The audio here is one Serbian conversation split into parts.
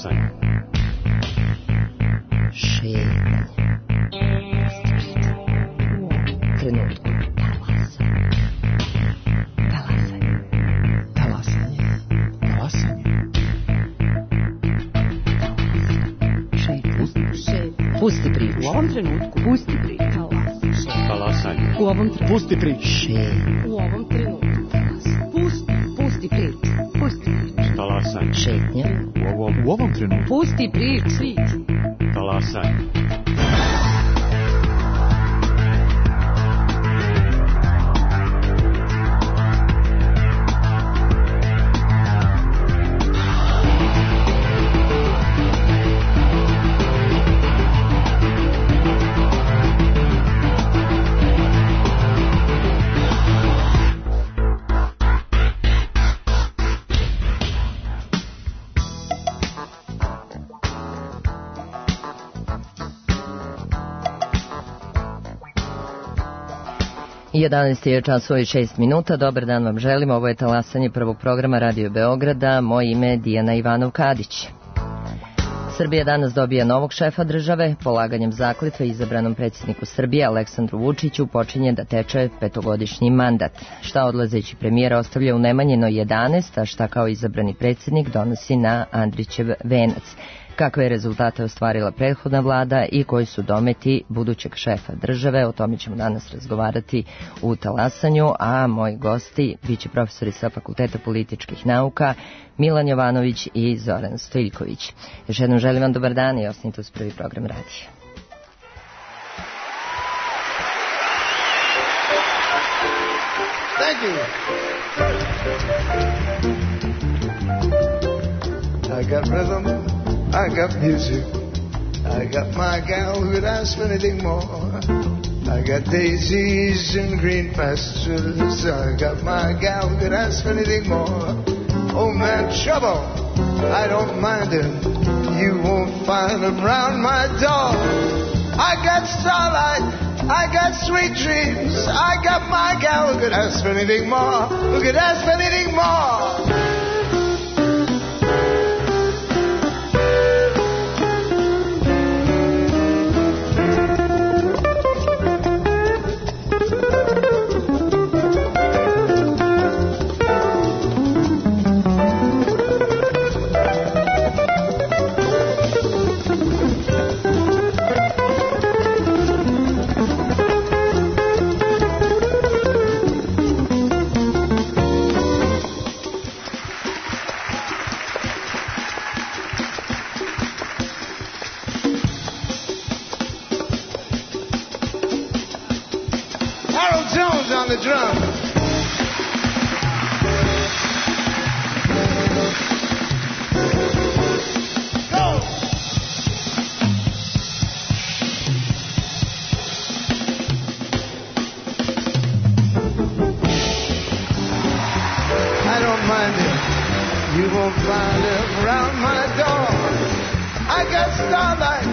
Talasanje. Šetanje. Trenutku. Talasanje. Talasanje. Talasanje. Pusti priču. U ovom trenutku. Pusti priču. Talasanje. U ovom trenutku. Pusti priču. U ovom trenutku. Pusti priču. Pusti priču. Talasanje. Šetnja. U ovom trenutku. Pusti priču. Talasanje. Je časova i 6 minuta. Dobar dan vam želim. Ovo je talasanje prvog programa Radio Beograda. Moje ime je Dijana Ivanov-Kadić. Srbija danas dobija novog šefa države. Polaganjem zakletve izabranom predsjedniku Srbije Aleksandru Vučiću počinje da teče petogodišnji mandat. Šta odlazeći premijer ostavlja u Nemanjinoj 11, a šta kao izabrani predsjednik donosi na Andrićev venac. Kakve je rezultate ostvarila prethodna vlada i koji su dometi budućeg šefa države, o tome ćemo danas razgovarati u talasanju, a moji gosti biće profesori sa Fakulteta političkih nauka Milan Jovanović i Zoran Stojiljković. Još jednom želim vam dobar dan i ostanite uz prvi program radija. Thank you. I got rhythm. I got music, I got my gal who'd ask for anything more. I got daisies in green pastures, I got my gal who'd ask for anything more. Oh man, trouble, I don't mind him, you won't find him round my door. I got starlight, I got sweet dreams, I got my gal who could ask for anything more, who could ask for anything more. On the drum. Go. I don't mind it. You won't find it around my door. I got starlight.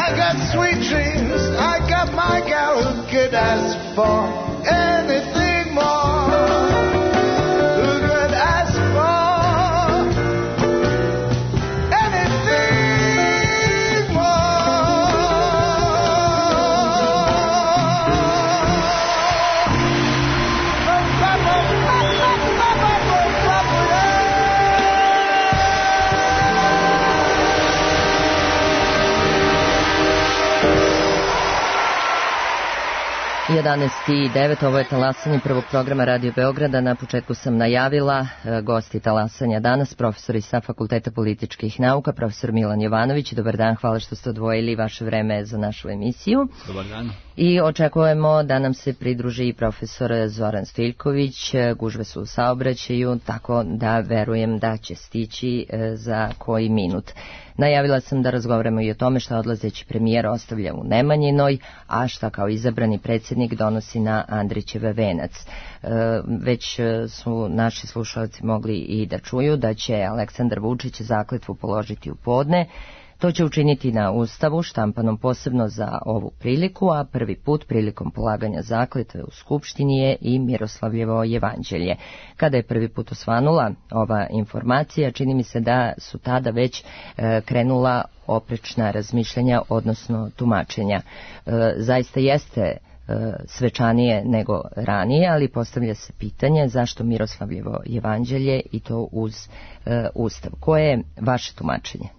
I got sweet dreams. I got my gal who could ask for anything more. Who could ask for anything more? I 9, ovo je talasanje prvog programa Radio Beograda. Na početku sam najavila gosti talasanja danas, profesori sa Fakulteta političkih nauka, profesor Milan Jovanović. Dobar dan, hvala što ste odvojili vaše vreme za našu emisiju. Dobar dan. I očekujemo da nam se pridruži i profesor Zoran Stojiljković. Gužve su u saobraćaju, tako da verujem da će stići za koji minut. Najavila sam da razgovaramo i o tome šta odlazeći premijer ostavlja u Nemanjinoj, a šta kao izabrani predsjednik donosi na Andrićev venac. Već su naši slušalci mogli i da čuju da će Aleksandar Vučić zakletvu položiti u podne. To će učiniti na Ustavu, štampanom posebno za ovu priliku, a prvi put prilikom polaganja zakletve u Skupštini je i Miroslavljevo jevanđelje. Kada je prvi put osvanula ova informacija, čini mi se da su tada već krenula oprečna razmišljanja, odnosno tumačenja. Zaista jeste svečanije nego ranije, ali postavlja se pitanje zašto Miroslavljevo jevanđelje i to uz Ustav. Koje je vaše tumačenje?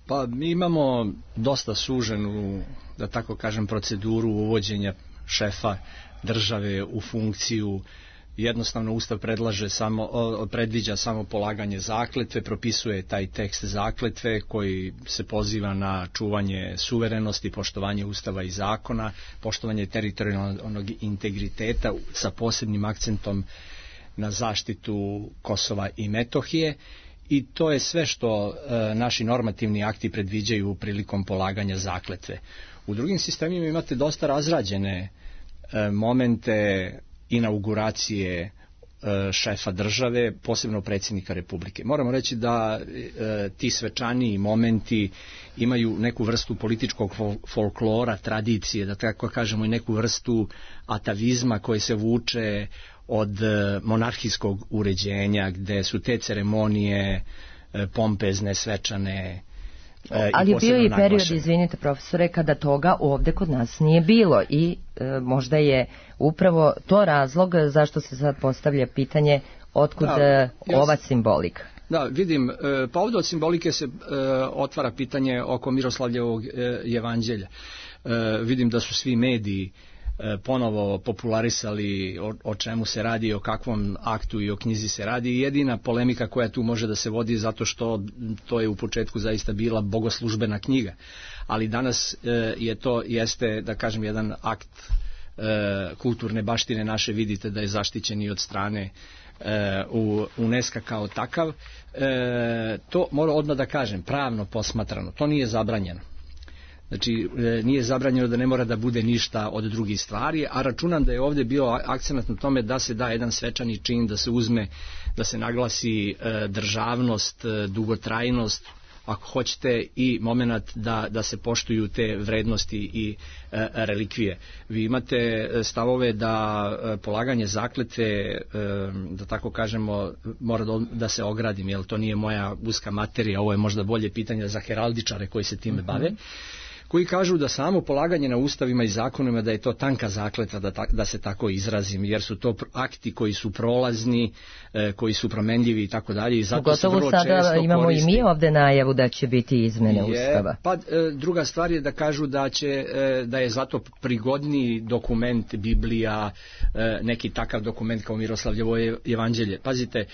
Pa mi imamo dosta suženu, da tako kažem, proceduru uvođenja šefa države u funkciju. Jednostavno Ustav predviđa samo polaganje zakletve, propisuje taj tekst zakletve koji se poziva na čuvanje suverenosti, poštovanje Ustava i zakona, poštovanje teritorijalnog integriteta sa posebnim akcentom na zaštitu Kosova i Metohije. I to je sve što naši normativni akti predviđaju prilikom polaganja zakletve. U drugim sistemima imate dosta razrađene momente inauguracije šefa države, posebno predsjednika Republike. Moramo reći da ti svečaniji momenti imaju neku vrstu političkog folklora, tradicije, da tako kažemo i neku vrstu atavizma koje se vuče od monarhijskog uređenja, gde su te ceremonije pompezne, svečane. Ali je bio i period, izvinite profesore, kada toga ovde kod nas nije bilo i možda je upravo to razlog zašto se sad postavlja pitanje otkud ova simbolika. Da, vidim, pa ovdje od simbolike se otvara pitanje oko Miroslavljevog jevanđelja. Vidim da su svi mediji ponovo popularisali o čemu se radi, o kakvom aktu i o knjizi se radi. I jedina polemika koja tu može da se vodi zato što to je u početku zaista bila bogoslužbena knjiga. Ali danas jeste, da kažem, jedan akt kulturne baštine naše, vidite da je zaštićen i od strane UNESCO kao takav. To mora odmah da kažem, pravno posmatrano, to nije zabranjeno. Znači, nije zabranjeno da ne mora da bude ništa od drugih stvari, a računam da je ovdje bio akcenat na tome da se da jedan svečani čin, da se uzme, da se naglasi državnost, dugotrajnost, ako hoćete, i moment da se poštuju te vrednosti i relikvije. Vi imate stavove da polaganje zakletve, da tako kažemo, mora da se ogradim, jer to nije moja uska materija, ovo je možda bolje pitanje za heraldičare koji se time bave, koji kažu da samo polaganje na ustavima i zakonima da je to tanka zakletva, da se tako izrazim, jer su to akti koji su prolazni, koji su promenljivi i tako dalje. I zato se vrlo često sada imamo koristi. I mi ovde najavu da će biti izmene Ustava. Pa druga stvar je da kažu da je zato prigodniji dokument Biblija, neki takav dokument kao Miroslavljevo jevanđelje. Pazite,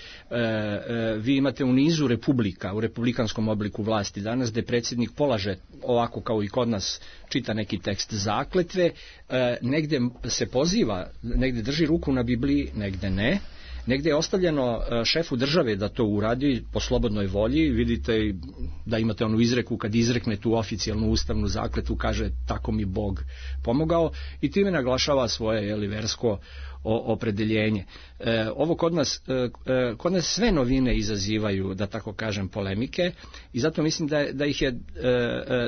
vi imate u nizu republika, u republikanskom obliku vlasti danas, gde predsjednik polaže ovako kao i kod nas, čita neki tekst zakletve, negde se poziva, negde drži ruku na Bibliji, negde ne. Negde je ostavljeno šefu države da to uradi po slobodnoj volji. Vidite da imate onu izreku, kad izrekne tu oficijalnu ustavnu zakletvu, kaže tako mi Bog pomogao, i time naglašava svoje versko opredeljenje. Ovo kod nas sve novine izazivaju, da tako kažem, polemike, i zato mislim da ih je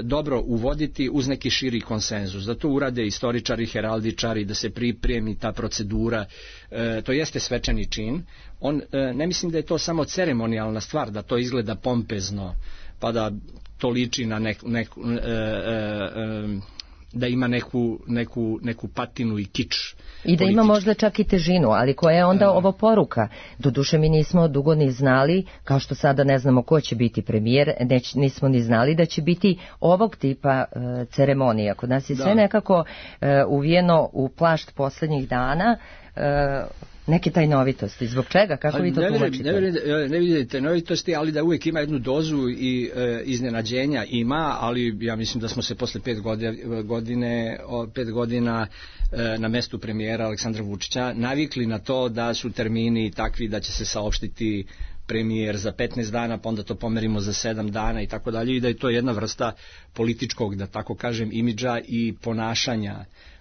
dobro uvoditi uz neki širi konsenzus, da to urade istoričari, heraldičari, da se pripremi ta procedura. To jeste svečani čin. Ne mislim da je to samo ceremonijalna stvar, da to izgleda pompezno, pa da to liči na da ima neku patinu i kič. I da ima možda čak i težinu, ali koja je onda ovo poruka? Doduše mi nismo dugo ni znali, kao što sada ne znamo ko će biti premijer, nismo ni znali da će biti ovog tipa ceremonija. Kod nas je sve nekako uvijeno u plašt posljednjih dana, neke tajnovitosti. Zbog čega? Kako vi to tumačite? Ne vidite novitosti, ali da uvijek ima jednu dozu i iznenađenja ima, ali ja mislim da smo se posle 5 godina na mestu premijera Aleksandra Vučića navikli na to da su termini takvi da će se saopštiti premijer za 15 dana, pa onda to pomerimo za 7 dana i tako dalje, i da je to jedna vrsta političkog, da tako kažem, imidža i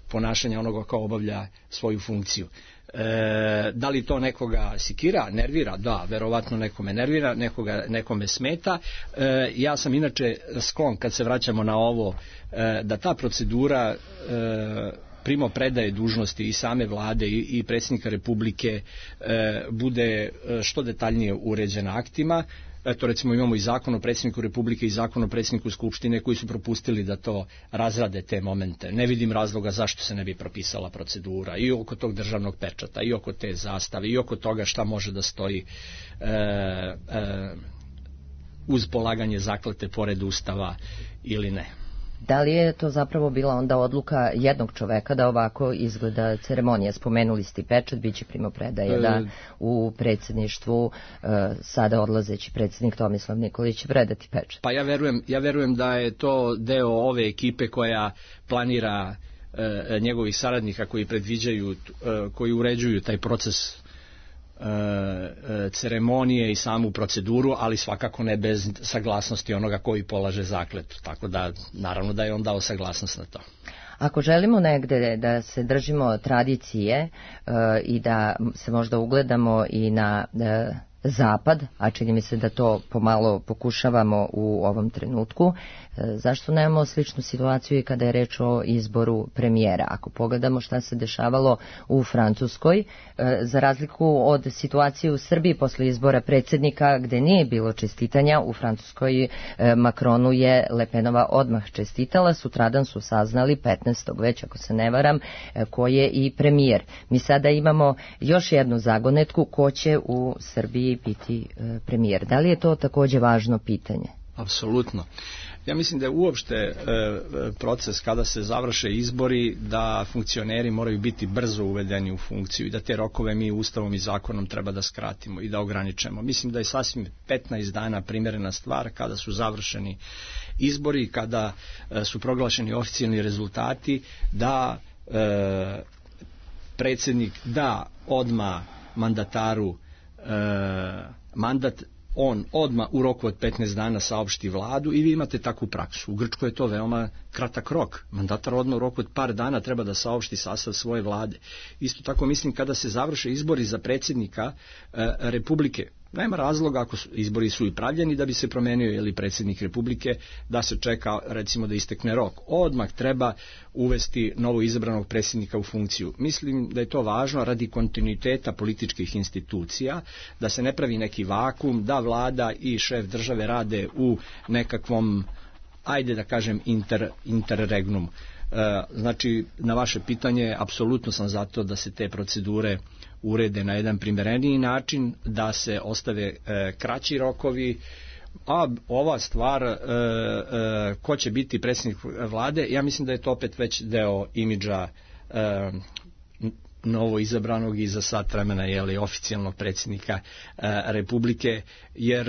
ponašanja onoga kao obavlja svoju funkciju. Da li to nekoga sikira, nervira? Da, verovatno nekome nervira, nekome smeta. Ja sam inače sklon, kad se vraćamo na ovo, da ta procedura primopredaje dužnosti i same vlade i predsjednika Republike bude što detaljnije uređena aktima. Eto, recimo imamo i zakon o predsjedniku Republike i zakon o predsjedniku Skupštine koji su propustili da to razrade te momente. Ne vidim razloga zašto se ne bi propisala procedura i oko tog državnog pečata, i oko te zastave, i oko toga šta može da stoji uz polaganje zakletve pored Ustava ili ne. Da li je to zapravo bila onda odluka jednog čoveka da ovako izgleda ceremonija? Spomenuli ste pečat, bit će primopredaje da u predsjedništvu sada odlazeći predsjednik Tomislav Nikolić će predati pečat. Pa ja verujem da je to deo ove ekipe koja planira njegovih saradnika koji predviđaju, koji uređuju taj proces ceremonije i samu proceduru, ali svakako ne bez saglasnosti onoga koji polaže zakletvu. Tako da, naravno da je on dao saglasnost na to. Ako želimo negde da se držimo tradicije i da se možda ugledamo i na zapad, a čini mi se da to pomalo pokušavamo u ovom trenutku, zašto nemamo sličnu situaciju i kada je reč o izboru premijera? Ako pogledamo šta se dešavalo u Francuskoj, za razliku od situacije u Srbiji posle izbora predsjednika gde nije bilo čestitanja, u Francuskoj Macronu je Le Penova odmah čestitala, sutradan su saznali 15. već ako se ne varam, ko je i premijer. Mi sada imamo još jednu zagonetku, ko će u Srbiji biti premijer. Da li je to takođe važno pitanje? Apsolutno. Ja mislim da je uopšte proces kada se završe izbori da funkcioneri moraju biti brzo uvedeni u funkciju i da te rokove mi Ustavom i zakonom treba da skratimo i da ograničemo. Mislim da je sasvim 15 dana primjerena stvar kada su završeni izbori, kada su proglašeni oficijalni rezultati, da predsjednik da odmah mandataru mandat, on odmah u roku od 15 dana saopšti vladu i vi imate takvu praksu. U Grčkoj je to veoma kratak rok. Mandatar odmah u roku od par dana treba da saopšti sastav svoje vlade. Isto tako mislim kada se završe izbori za predsjednika Republike, nema razloga ako izbori su i pravljeni da bi se promenio ili predsjednik Republike, da se čeka recimo da istekne rok. Odmah treba uvesti novo izabranog predsjednika u funkciju. Mislim da je to važno radi kontinuiteta političkih institucija, da se ne pravi neki vakum, da vlada i šef države rade u nekakvom, ajde da kažem, interregnum. Znači, na vaše pitanje, apsolutno sam za to da se te procedure urede na jedan primereniji način, da se ostave kraći rokovi, a ova stvar ko će biti predsjednik vlade, ja mislim da je to opet već deo imidža novo izabranog i za sat vremena oficijalnog predsjednika Republike, jer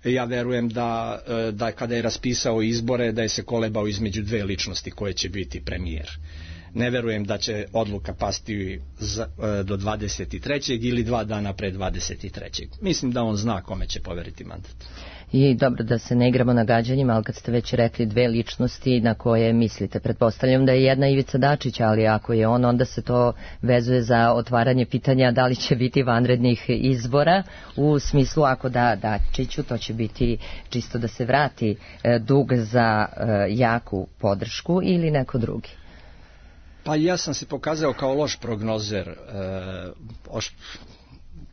ja verujem da kada je raspisao izbore da je se kolebao između dve ličnosti koje će biti premijer. Ne verujem da će odluka pasti do 23. ili 2 dana pre 23. Mislim da on zna kome će poveriti mandat. I dobro, da se ne igramo na gađanjima, ali kad ste već rekli dve ličnosti na koje mislite, pretpostavljam da je jedna Ivica Dačić, ali ako je on, onda se to vezuje za otvaranje pitanja da li će biti vanrednih izbora, u smislu ako da Dačiću, to će biti čisto da se vrati dug za jaku podršku ili neko drugi. Pa ja sam se pokazao kao loš prognozer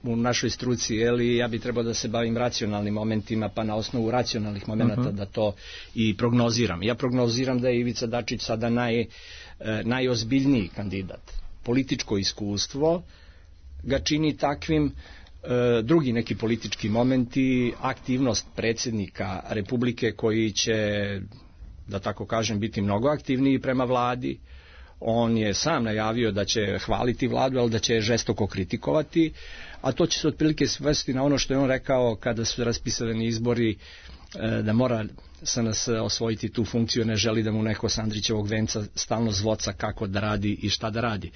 u našoj struci, ja bi trebao da se bavim racionalnim momentima, pa na osnovu racionalnih momenata da to i prognoziram. Ja prognoziram da je Ivica Dačić sada najozbiljniji kandidat. Političko iskustvo ga čini takvim, drugi neki politički momenti, aktivnost predsjednika Republike koji će, da tako kažem, biti mnogo aktivniji prema vladi. On je sam najavio da će hvaliti vladu, ali da će je žestoko kritikovati, a to će se otprilike svesti na ono što je on rekao kada su raspisani izbori, da mora SNS osvojiti tu funkciju, ne želi da mu neko s Andrićevog venca stalno zvoca kako da radi i šta da radi.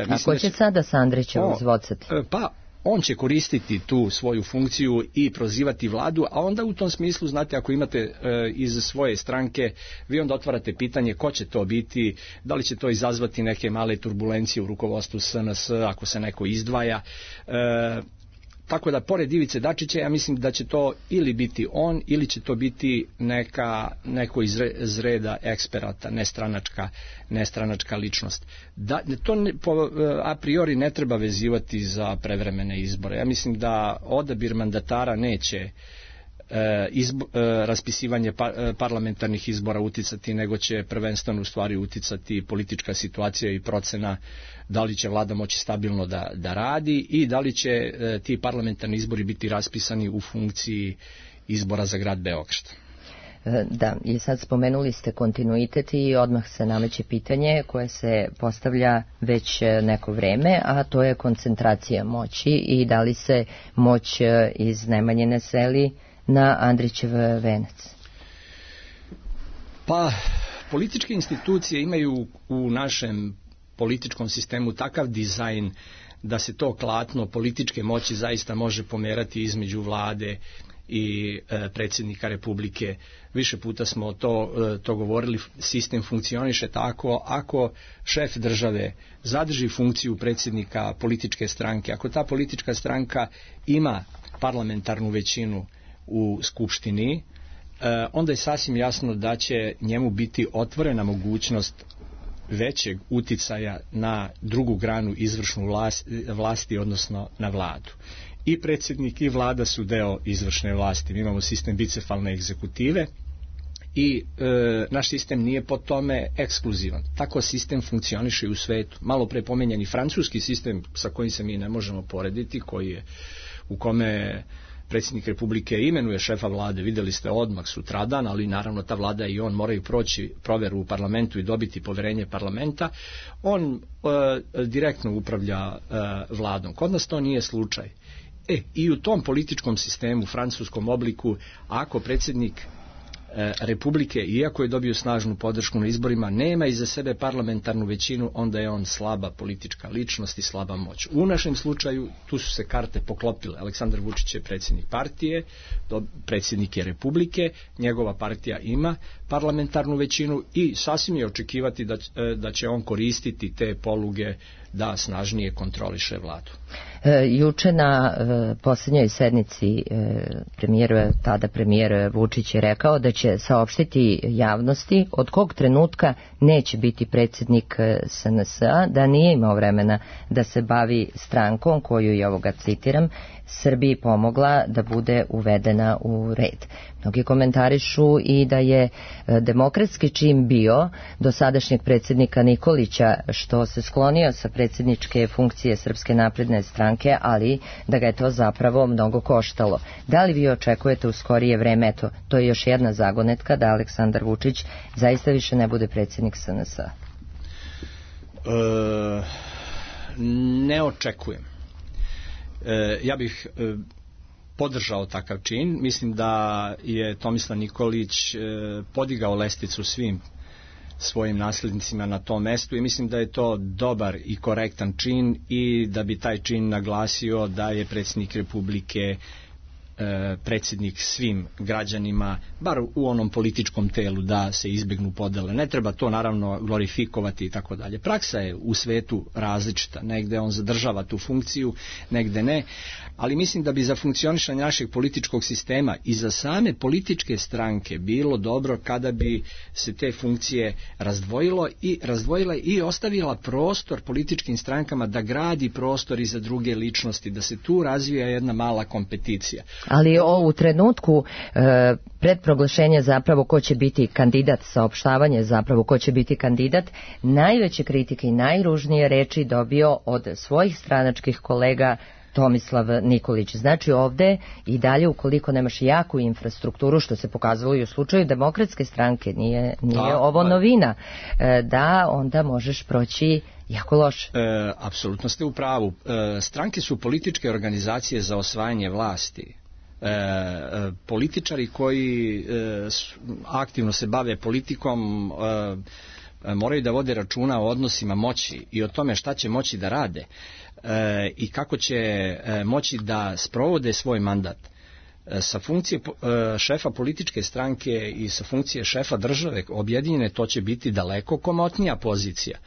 Ako će sada s Andrićevog zvocati? Pa on će koristiti tu svoju funkciju i prozivati vladu, a onda u tom smislu, znate, ako imate iz svoje stranke, vi onda otvarate pitanje ko će to biti, da li će to izazvati neke male turbulencije u rukovodstvu SNS ako se neko izdvaja. Tako da, pored Ivice Dačića, ja mislim da će to ili biti on, ili će to biti neko iz reda eksperata, nestranačka ličnost. To a priori ne treba vezivati za prevremene izbore. Ja mislim da odabir mandatara neće raspisivanje parlamentarnih izbora uticati, nego će prvenstveno u stvari uticati politička situacija i procena da li će vlada moći stabilno da radi i da li će ti parlamentarni izbori biti raspisani u funkciji izbora za grad Beograd. Da, i sad spomenuli ste kontinuitet i odmah se nameće pitanje koje se postavlja već neko vreme, a to je koncentracija moći i da li se moć iz Nemanjine seli na Andrićev venac. Pa, političke institucije imaju u našem političkom sistemu takav dizajn da se to klatno političke moći zaista može pomerati između vlade i predsjednika Republike. Više puta smo to govorili, sistem funkcioniše tako, ako šef države zadrži funkciju predsjednika političke stranke, ako ta politička stranka ima parlamentarnu većinu u skupštini, onda je sasvim jasno da će njemu biti otvorena mogućnost većeg uticaja na drugu granu izvršnu vlasti, odnosno na vladu. I predsjednik i vlada su deo izvršne vlasti. Mi imamo sistem bicefalne egzekutive i naš sistem nije po tome ekskluzivan. Tako sistem funkcioniše i u svetu. Malo pre pomenjeni francuski sistem sa kojim se mi ne možemo porediti, u kome predsjednik Republike imenuje šefa vlade, vidjeli ste odmah sutradan, ali naravno ta vlada i on moraju proći proveru u parlamentu i dobiti poverenje parlamenta. On direktno upravlja vladom. Kod nas to nije slučaj. I u tom političkom sistemu, francuskom obliku, ako predsjednik Republike, iako je dobio snažnu podršku na izborima, nema iza sebe parlamentarnu većinu, onda je on slaba politička ličnost i slaba moć. U našem slučaju tu su se karte poklopile. Aleksandar Vučić je predsjednik partije, predsjednik je Republike, njegova partija ima parlamentarnu većinu i sasvim je očekivati da će on koristiti te poluge da snažnije kontroliše vladu. Juče na posljednjoj sednici tada premijer Vučić je rekao da će saopštiti javnosti od kog trenutka neće biti predsjednik SNS-a, da nije imao vremena da se bavi strankom koju je, ovoga citiram, Srbiji pomogla da bude uvedena u red. Mnogi komentarišu i da je demokratski čin bio do sadašnjeg predsjednika Nikolića što se sklonio sa predsjedničke funkcije Srpske napredne stranke, ali da ga je to zapravo mnogo koštalo. Da li vi očekujete u skorije vreme, to je još jedna zagonetka, da Aleksandar Vučić zaista više ne bude predsjednik SNS-a? Ne očekujem. Ja bih podržao takav čin. Mislim da je Tomislav Nikolić podigao lestvicu svim svojim naslednicima na tom mestu i mislim da je to dobar i korektan čin i da bi taj čin naglasio da je predsjednik Republike predsjednik svim građanima, bar u onom političkom telu, da se izbjegnu podele. Ne treba to naravno glorifikovati i tako dalje. Praksa je u svetu različita. Negde on zadržava tu funkciju, negde ne. Ali mislim da bi za funkcionisanje našeg političkog sistema i za same političke stranke bilo dobro kada bi se te funkcije razdvojila i ostavila prostor političkim strankama da gradi prostor i za druge ličnosti, da se tu razvija jedna mala kompeticija. Ali u trenutku pred proglašenja zapravo ko će biti kandidat, saopštavanje zapravo ko će biti kandidat, najveće kritike i najružnije reči dobio od svojih stranačkih kolega Tomislav Nikolić. Znači ovde i dalje, ukoliko nemaš jaku infrastrukturu, što se pokazalo i u slučaju Demokratske stranke, nije ovo novina, da onda možeš proći jako loše. Apsolutno ste u pravu. Stranke su političke organizacije za osvajanje vlasti. Političari koji aktivno se bave politikom moraju da vode računa o odnosima moći i o tome šta će moći da rade. i kako će moći da sprovode svoj mandat sa funkcije šefa političke stranke i sa funkcije šefa države objedinjene, to će biti daleko komotnija pozicija.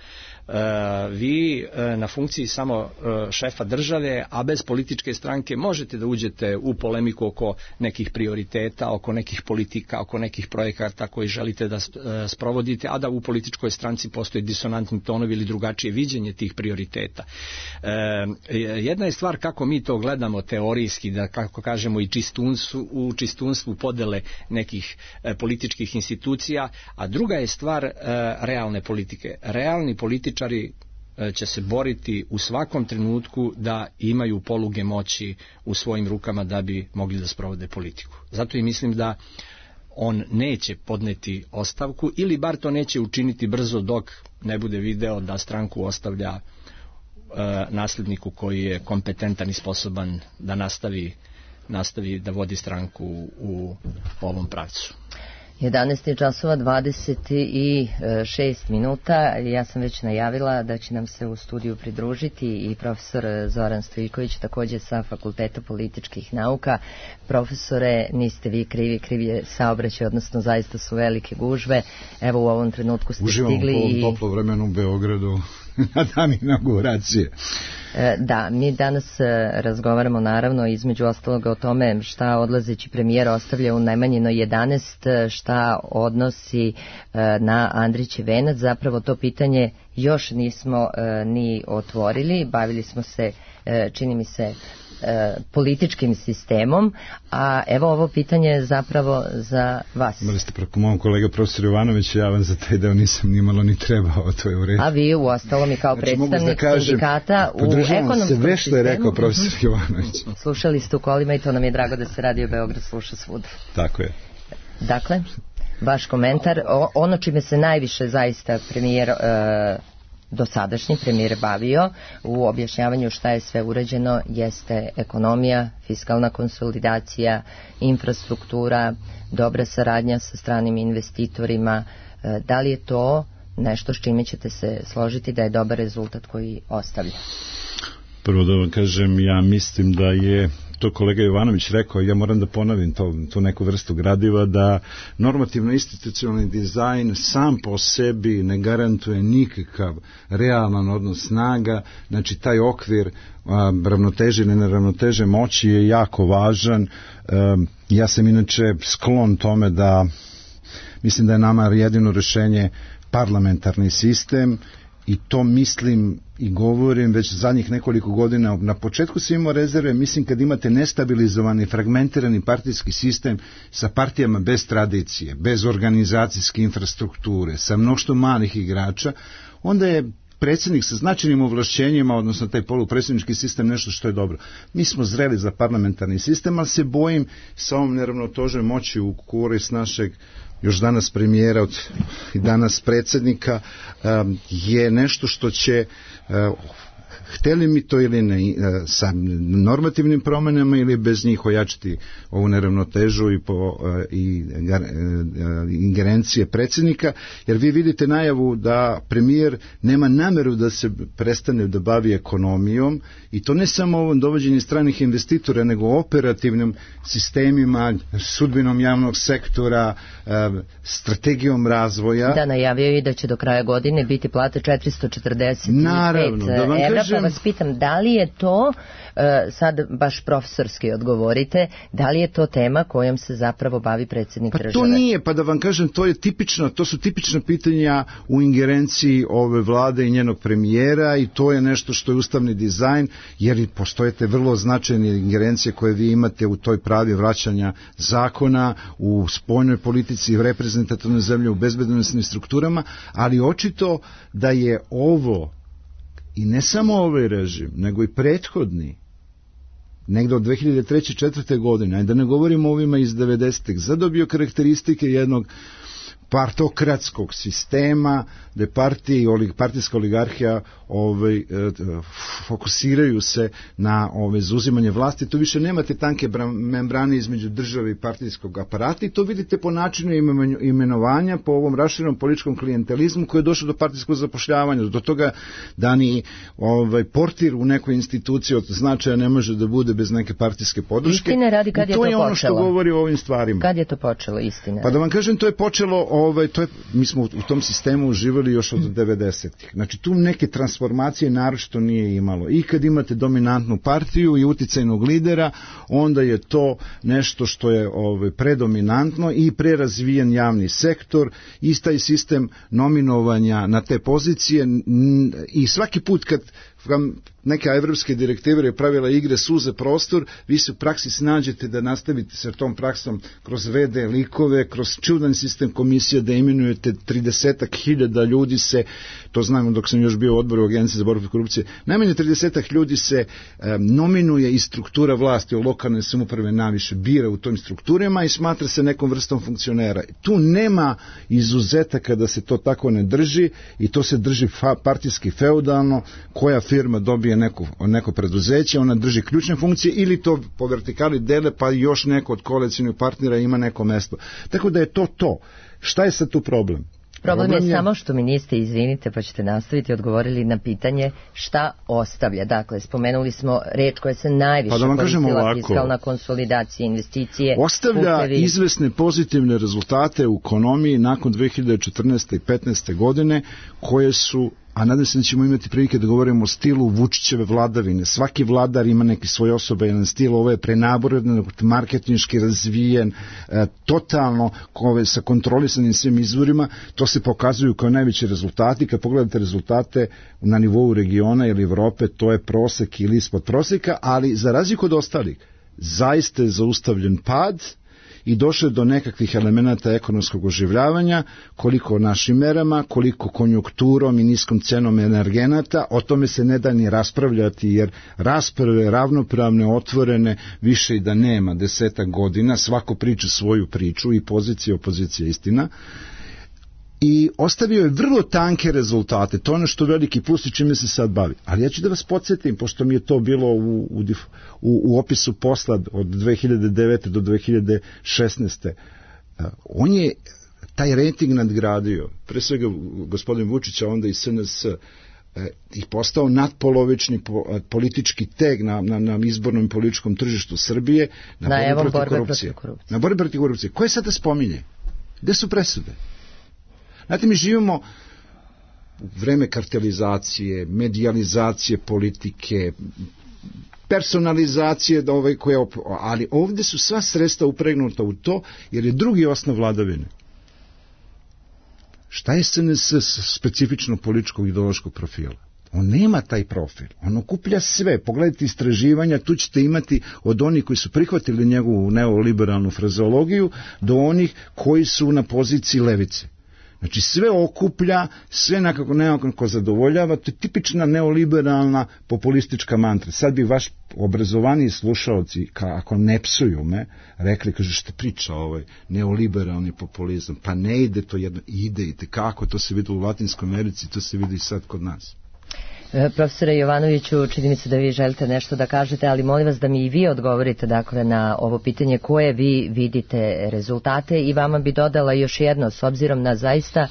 Vi na funkciji samo šefa države, a bez političke stranke možete da uđete u polemiku oko nekih prioriteta, oko nekih politika, oko nekih projekata koji želite da sprovodite, a da u političkoj stranci postoji disonantni tonovi ili drugačije viđenje tih prioriteta. Jedna je stvar kako mi to gledamo teorijski, da kako kažemo i u čistunstvu podele nekih političkih institucija, a druga je stvar realne politike. Realni političari će se boriti u svakom trenutku da imaju poluge moći u svojim rukama da bi mogli da sprovode politiku. Zato i mislim da on neće podneti ostavku ili bar to neće učiniti brzo dok ne bude video da stranku ostavlja nasljedniku koji je kompetentan i sposoban da nastavi da vodi stranku u ovom pravcu. 11 časova 26 minuta. Ja sam već najavila da će nam se u studiju pridružiti i profesor Zoran Stojiković, također sa Fakulteta političkih nauka. Profesore, niste vi krivi, kriv je saobraćaj, odnosno zaista su velike gužve. Evo u ovom trenutku ste stigli. Uživamo po ovom toplo vremenu u Beogradu na dan inauguracije. Da, mi danas razgovaramo naravno između ostalog o tome šta odlazeći premijer ostavlja u najmanjino 11, šta odnosi na Andrićev venac. Zapravo to pitanje još nismo ni otvorili, bavili smo se, čini mi se, političkim sistemom, a evo ovo pitanje je zapravo za vas. Imali ste preko mom kolega profesor Jovanović, ja vam za taj deo nisam nimalo ni trebao, to je u redu. A vi u ostalom i kao predstavnik sindikata u ekonomskom sistemu. Sve što je rekao profesor Jovanović. Slušali ste u kolima i to nam je drago da se Radio Beograd sluša svuda. Tako je. Dakle, vaš komentar, ono čime se najviše zaista premijer dosadašnji premijer bavio u objašnjavanju šta je sve urađeno jeste ekonomija, fiskalna konsolidacija, infrastruktura, dobra saradnja sa stranim investitorima. Da li je to nešto s čime ćete se složiti da je dobar rezultat koji ostavlja? Prvo da vam kažem, ja mislim da je to kolega Jovanović rekao, ja moram da ponovim tu neku vrstu gradiva, da normativno-institucionalni dizajn sam po sebi ne garantuje nikakav realan odnos snaga, znači taj okvir ravnoteže ili neravnoteže moći je jako važan. Ja sam inače sklon tome da mislim da je nama jedino rješenje parlamentarni sistem, i to mislim i govorim već zadnjih nekoliko godina. Na početku sam imao rezerve, mislim kad imate nestabilizovani, fragmentirani partijski sistem sa partijama bez tradicije, bez organizacijske infrastrukture, sa mnoštvo malih igrača, onda je predsjednik sa značajnim ovlašćenjima, odnosno taj polupredsjednički sistem, nešto što je dobro. Mi smo zreli za parlamentarni sistem, ali se bojim sa ovom neravnotežom moći u korist našeg još danas premijera i danas predsjednika je nešto što će, hteli mi to ili ne, sa normativnim promjenama ili bez njih ojačati ovu neravnotežu i ingerencije predsjednika, jer vi vidite najavu da premijer nema namjeru da se prestane da bavi ekonomijom, i to ne samo ovom dovođenju stranih investitora, nego operativnim sistemima, sudbinom javnog sektora, strategijom razvoja. Da, najavio i da će do kraja godine biti plate 445 Naravno, da vam evra, kažem, pa vas pitam, da li je to, sad baš profesorski odgovorite, da li je to tema kojom se zapravo bavi predsjednik države? To nije, pa da vam kažem, to su tipična pitanja u ingerenciji ove vlade i njenog premijera, i to je nešto što je ustavni dizajn, jer postojete vrlo značajne ingerencije koje vi imate u toj pravi vraćanja zakona, u spoljnoj politici, u reprezentativnoj zemlji, u bezbednosnim strukturama, ali očito da je ovo, i ne samo ovaj režim, nego i prethodni, negdje od 2003. 2004. godine, a da ne govorimo o ovima iz 90-ih, zadobio karakteristike jednog partokratskog sistema, gde partijska oligarhija fokusiraju se na zauzimanje vlasti. Tu više nemate tanke membrane između države i partijskog aparata i to vidite po načinu imenovanja, po ovom raširenom političkom klijentelizmu koji je došao do partijskog zapošljavanja, do toga da ni portir u nekoj instituciji od značaja ne može da bude bez neke partijske podrške. Istine radi, kad je to počelo? To je ono što govori o ovim stvarima. Kad je to počelo, istine? Pa da vam kažem, to je počelo, mi smo u tom sistemu uživali još od 90-ih. Znači tu neke transformacije naročito nije imalo. I kad imate dominantnu partiju i uticajnog lidera, onda je to nešto što je predominantno i prerazvijen javni sektor, istaj sistem nominovanja na te pozicije i svaki put kad neka evropske direktive je pravila igre suze prostor, vi se u praksi snađete da nastavite sa tom praksom kroz VD likove, kroz čudan sistem komisije da imenujete 30.000 ljudi se, to znamo dok sam još bio u odboru Agencije za borbu protiv korupcije, najmanje 30 ljudi se nominuje iz struktura vlasti u lokalne samouprave naviše bira u tom strukturama i smatra se nekom vrstom funkcionera. Tu nema izuzetaka da se to tako ne drži i to se drži partijski feudalno, koja firma dobije neko preduzeće, ona drži ključne funkcije ili to po vertikali dele pa još neko od koalicijnih partnera ima neko mesto. Tako da je to. Šta je sad tu problem? Problem je samo što mi niste, izvinite, pa ćete nastaviti, odgovorili na pitanje šta ostavlja. Dakle, spomenuli smo reč koja se najviše koristila, fiskalna konsolidacija, investicije. Ostavlja putevi. Izvesne pozitivne rezultate u ekonomiji nakon 2014. i 2015. godine koje su, a nadam se da ćemo imati prilike da govorimo o stilu Vučićeve vladavine. Svaki vladar ima neki svoj osoban stil, ovo je prenaboran, marketinški razvijen, totalno sa kontrolisanim svim izvorima, to se pokazuju kao najveći rezultati. Kad pogledate rezultate na nivou regiona ili Evrope, to je prosek ili ispod proseka, ali za razliku od ostalih, zaista je zaustavljen pad i došle do nekakvih elemenata ekonomskog oživljavanja, koliko našim merama, koliko konjunkturom i niskom cenom energenata, o tome se ne da ni raspravljati, jer rasprave ravnopravne, otvorene, više i da nema 10 godina, svako priča svoju priču i pozicija, opozicija, istina, i ostavio je vrlo tanke rezultate, to je ono što veliki plus i čime se sad bavi. Ali ja ću da vas podsjetim, pošto mi je to bilo u opisu posla od 2009. do 2016. On je taj rating nadgradio, pre svega gospodin Vučića, onda i SNS, i postao nadpolovični politički teg na izbornom političkom tržištu Srbije na borbi protiv korupcije. Na borbi protiv korupcije. Koje sada spominje? Gde su presude? Znate, mi živimo u vreme kartelizacije, medijalizacije politike, personalizacije, ali ovdje su sva sredstva upregnuta u to, jer je drugi osnov vladavine. Šta je SNS specifično političkog ideološkog profila? On nema taj profil, on okuplja sve. Pogledajte istraživanja, tu ćete imati od onih koji su prihvatili njegovu neoliberalnu frazeologiju do onih koji su na poziciji levice. Znači sve okuplja, sve nekako zadovoljava, to je tipična neoliberalna populistička mantra. Sad bi vaš obrazovaniji slušalci, ako ne psuju me, rekli, kaže, što priča neoliberalni populizam, pa ne ide to jedno, ide kako, to se vidi u Latinskoj Americi, to se vidi i sad kod nas. Profesore Jovanoviću, čini mi se da vi želite nešto da kažete, ali molim vas da mi i vi odgovorite dakle na ovo pitanje koje vi vidite rezultate i vama bi dodala još jedno, s obzirom na zaista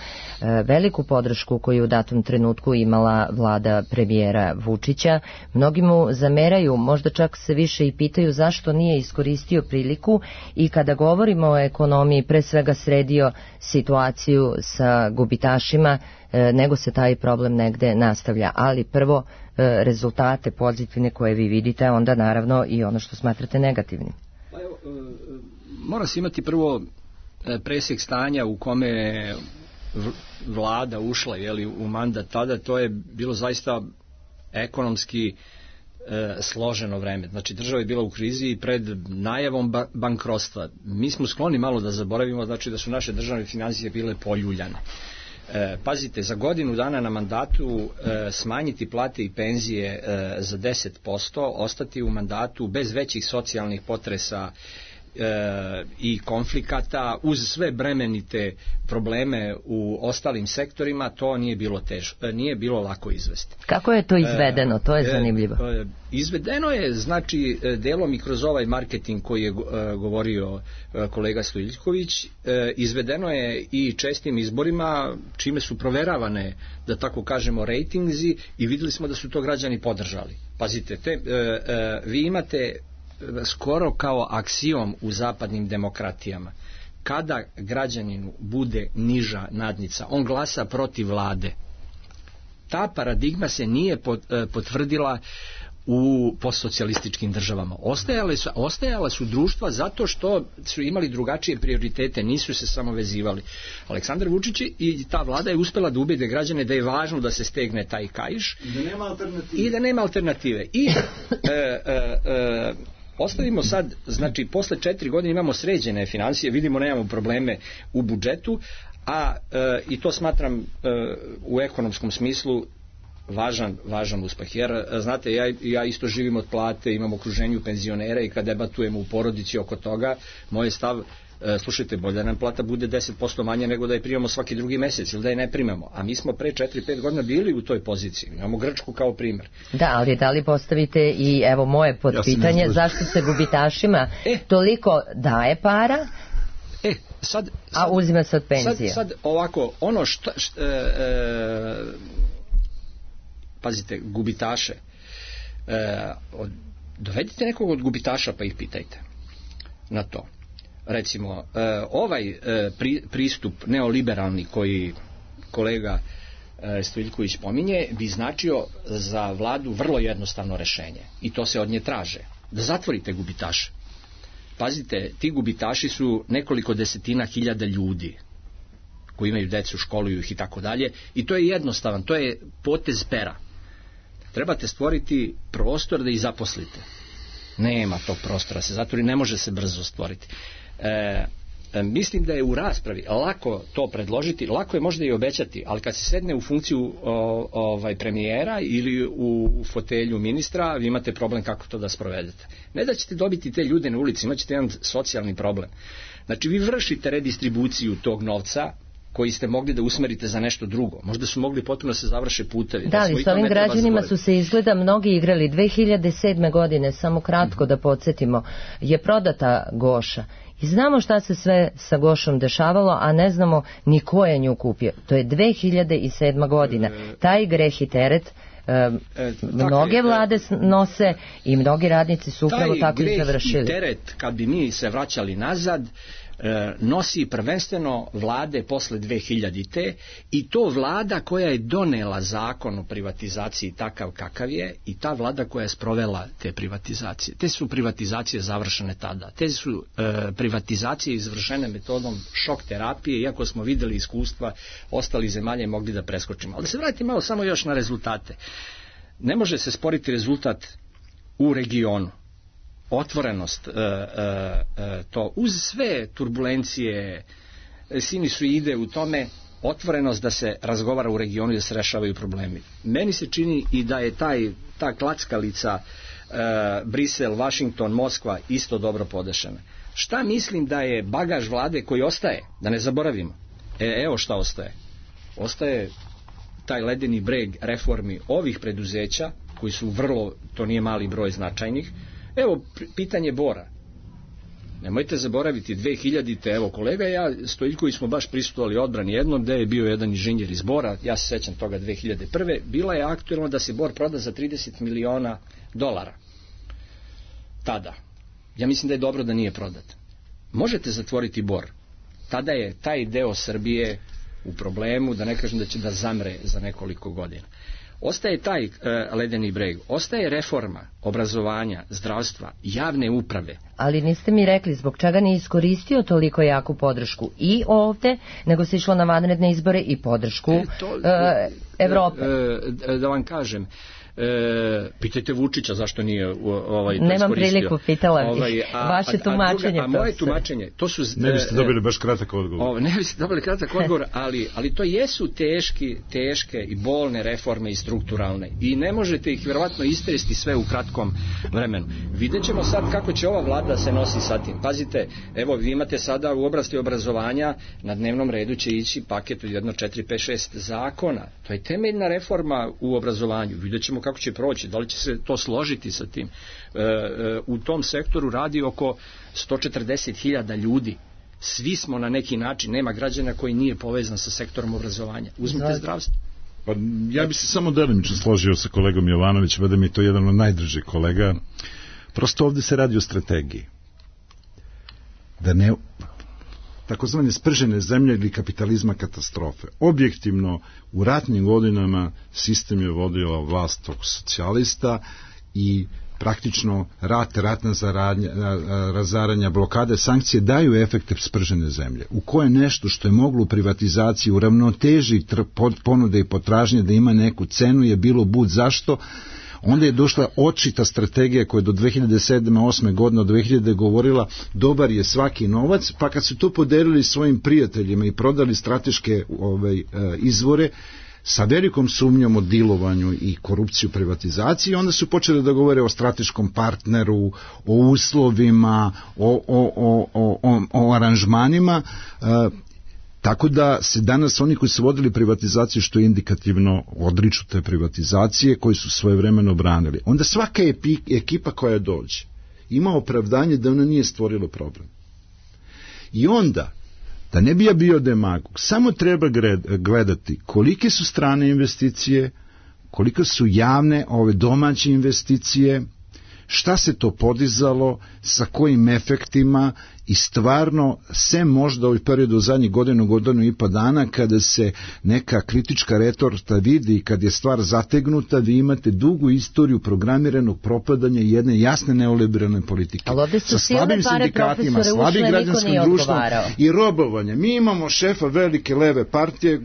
veliku podršku koju u datom trenutku imala vlada premijera Vučića. Mnogi mu zameraju, možda čak se više i pitaju zašto nije iskoristio priliku i kada govorimo o ekonomiji, pre svega sredio situaciju sa gubitašima, nego se taj problem negde nastavlja. Ali prvo rezultate pozitivne koje vi vidite, a onda naravno i ono što smatrate negativnim. Pa evo, mora se imati prvo presjek stanja u kome vlada ušla u mandat tada, to je bilo zaista ekonomski složeno vreme. Znači država je bila u krizi i pred najavom bankrotstva. Mi smo skloni malo da zaboravimo, znači da su naše državne financije bile poljuljane. Pazite, za godinu dana na mandatu smanjiti plate i penzije za 10%, ostati u mandatu bez većih socijalnih potresa i konflikata, uz sve bremenite probleme u ostalim sektorima, to nije bilo lako izvesti. Kako je to izvedeno? To je zanimljivo. Izvedeno je, znači, delom i kroz ovaj marketing koji je govorio kolega Stojiljković, izvedeno je i čestim izborima, čime su proveravane, da tako kažemo, rejtingzi, i videli smo da su to građani podržali. Pazite, vi imate skoro kao aksiom u zapadnim demokratijama: kada građaninu bude niža nadnica, on glasa protiv vlade. Ta paradigma se nije potvrdila u postsocijalističkim državama. Ostajala su društva zato što su imali drugačije prioritete, nisu se samo vezivali. Aleksandar Vučić i ta vlada je uspela da ubede građane da je važno da se stegne taj kaiš i da nema alternative. I ostavimo sad, znači, posle 4 godine imamo sređene financije, vidimo nemamo probleme u budžetu, i to smatram u ekonomskom smislu važan uspeh. Jer, znate, ja isto živim od plate, imam okruženju penzionera, i kad debatujemo u porodici oko toga, moj je stav: slušajte, bolje da nam plata bude 10% manje nego da je primamo svaki drugi mesec ili da je ne primamo. A mi smo pre 4-5 godina bili u toj poziciji. Imamo Grčku kao primer. Da, ali da li postavite i evo moje podpitanje, zašto se gubitašima toliko daje para, a uzima se od penzije? Sad ovako, ono što pazite, gubitaše, dovedite nekog od gubitaša pa ih pitajte na to. Recimo, ovaj pristup neoliberalni koji kolega Stojiljković pominje bi značio za vladu vrlo jednostavno rešenje, i to se od nje traže: da zatvorite gubitaše. Pazite, ti gubitaši su nekoliko desetina hiljada ljudi koji imaju decu, školuju ih i tako dalje, i to je jednostavan, to je potez pera. Trebate stvoriti prostor da ih zaposlite. Nema tog prostora, se zatvori, ne može se brzo stvoriti. Mislim da je u raspravi lako to predložiti, lako je možda i obećati, ali kad se sedne u funkciju premijera ili u fotelju ministra, vi imate problem kako to da sprovedete. Ne da ćete dobiti te ljude na ulici, imat ćete jedan socijalni problem. Znači, vi vršite redistribuciju tog novca koji ste mogli da usmerite za nešto drugo. Možda su mogli potpuno se završe putevi. Da, ali s ovim građanima su se izgleda mnogi igrali. 2007. godine, samo kratko da podsjetimo, je prodata Goša. I znamo šta se sve sa Gošom dešavalo, a ne znamo ni ko je nju kupio. To je 2007. godina. Taj greh i teret mnoge vlade nose i mnogi radnici su upravo tako i završili. Taj greh i teret, kad bi mi se vraćali nazad, nosi prvenstveno vlade posle 2000-te, i to vlada koja je donela zakon o privatizaciji takav kakav je, i ta vlada koja je sprovela te privatizacije. Te su privatizacije završene tada. Te su privatizacije izvršene metodom šok terapije, iako smo videli iskustva ostalih zemalja i mogli da preskočimo. Ali da se vratim malo samo još na rezultate. Ne može se sporiti rezultat u regionu. Otvorenost, to uz sve turbulencije, sinusoide u tome, otvorenost da se razgovara u regionu i da se rešavaju problemi. Meni se čini i da je ta klackalica Brisel, Washington, Moskva isto dobro podešena. Šta mislim da je bagaž vlade koji ostaje, da ne zaboravimo? Evo šta ostaje. Ostaje taj ledeni breg reformi ovih preduzeća, koji su vrlo, to nije mali broj značajnih. Evo, pitanje Bora. Nemojte zaboraviti, 2000-te, evo kolega i ja, Stojiljković, smo baš prisustvovali odbrani jednom, gde je bio jedan inženjer iz Bora, ja se sećam toga 2001. Bila je aktuelno da se Bor proda za $30 miliona. Tada. Ja mislim da je dobro da nije prodat. Možete zatvoriti Bor. Tada je taj deo Srbije u problemu, da ne kažem da će da zamre za nekoliko godina. Ostaje taj ledeni breg, ostaje reforma obrazovanja, zdravstva, javne uprave. Ali niste mi rekli zbog čega nije iskoristio toliko jaku podršku i ovde, nego se išlo na vanredne izbore i podršku Evrope. Da vam kažem, Pitajte Vučića zašto nije to Nemam iskoristio. priliku, pitala bih. Vaše tumačenje. A moje tumačenje, to su... Ne biste dobili baš kratak odgovor. Ne biste dobili kratak odgovor, ali to jesu teške i bolne reforme i strukturalne. I ne možete ih vjerovatno istresti sve u kratkom vremenu. Vidjet ćemo sad kako će ova vlada se nosi sa tim. Pazite, evo vi imate sada u oblasti obrazovanja, na dnevnom redu će ići paket od 1, 4, 5, 6 zakona. To je temeljna reforma u obrazovanju. Vidjet ćemo kako će proći, da li će se to složiti sa tim. U tom sektoru radi oko 140.000 ljudi. Svi smo na neki način, nema građana koji nije povezan sa sektorom obrazovanja. Uzmite zdravstvo. Pa ja bi se samo delimično složio sa kolegom Jovanovićem, da mi je to jedan od najdržih kolega. Prosto ovdje se radi o strategiji. Da ne... takozvane spržene zemlje ili kapitalizma katastrofe. Objektivno, u ratnim godinama sistem je vodila vlast tog socijalista i praktično ratna razaranja, blokade, sankcije daju efekte spržene zemlje. U koje nešto što je moglo u privatizaciji u ravnoteži ponude i potražnje da ima neku cenu je bilo bud zašto. Onda je došla očita strategija koja je do 2007-2008 godine, od 2000 govorila dobar je svaki novac, pa kad su to podelili svojim prijateljima i prodali strateške izvore sa velikom sumnjom o dilovanju i korupciju privatizaciji, onda su počeli da govore o strateškom partneru, o uslovima, o aranžmanima, tako da se danas oni koji su vodili privatizaciju, što je indikativno, odriču te privatizacije koji su svojevremeno branili. Onda svaka ekipa koja dođe ima opravdanje da ona nije stvorila problem. I onda, da ne bi ja bio demagog, samo treba gledati kolike su strane investicije, koliko su javne domaće investicije, šta se to podizalo, sa kojim efektima i stvarno, sem možda u periodu u zadnjih godinu i po dana, kada se neka kritička retorta vidi i kad je stvar zategnuta, vi imate dugu istoriju programiranog propadanja jedne jasne neoliberalne politike. Ali ovdje su sa slabim sindikatima, slabim građanskim društvom i robovanje. Mi imamo šefa velike leve partije,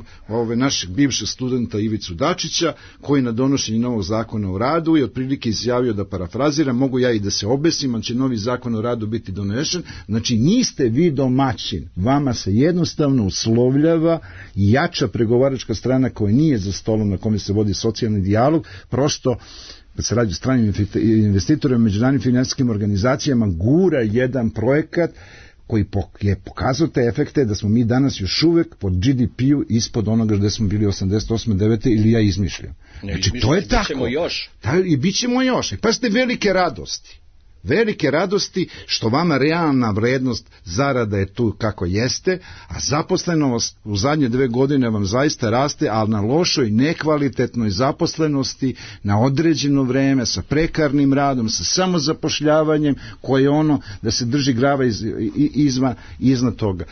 našeg bivšeg studenta Ivicu Dačića, koji na donošenju novog zakona o radu je otprilike izjavio, da parafraziram, mogu ja i da se obesim, ali će novi zakon o radu biti donešen. Znači, niste vi domaćin, vama se jednostavno uslovljava jača pregovaračka strana koja nije za stolom na kome se vodi socijalni dijalog, prosto kad se radi o stranim investitorima, međunarodnim finansijskim organizacijama, gura jedan projekat koji je pokazao te efekte da smo mi danas još uvek pod GDP-u ispod onoga gde smo bili 88. 9. ili ja izmišljam. Znači, to je tako. I bit ćemo još. I pazite, velike radosti što vama realna vrednost zarada je tu kako jeste, a zaposlenost u zadnje 2 godine vam zaista raste, ali na lošoj, nekvalitetnoj zaposlenosti na određeno vreme, sa prekarnim radom, sa samozapošljavanjem, koje je ono da se drži glava iznad toga.